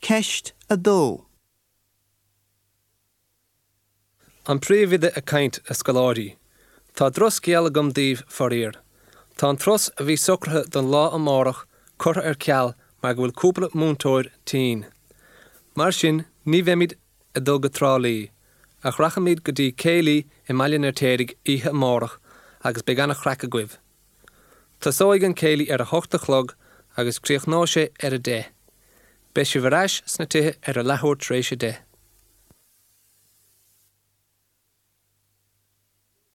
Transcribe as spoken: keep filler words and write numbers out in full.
Ceist a dó. An Príomhoide ag caint, a scoláirí. Tá drochscéal agam daoibh, faraor. Tá an turas a bhí socraithe don lá amárach curtha ar ceal mar go bhfuil cúpla múinteoir tinn. Mar sin ní bheimid ag dul go Trá Lí, ach rachaimid go dtí céilí i mBaile an Fheirtéaraigh oíche amárach agus beidh an-chraic agaibh. Tosóidh an céilí ar a hocht a chlog agus críochnóidh sé ar a deich. Beidh sibh ar ais sna tithe ar a leathuair tar éis a deich.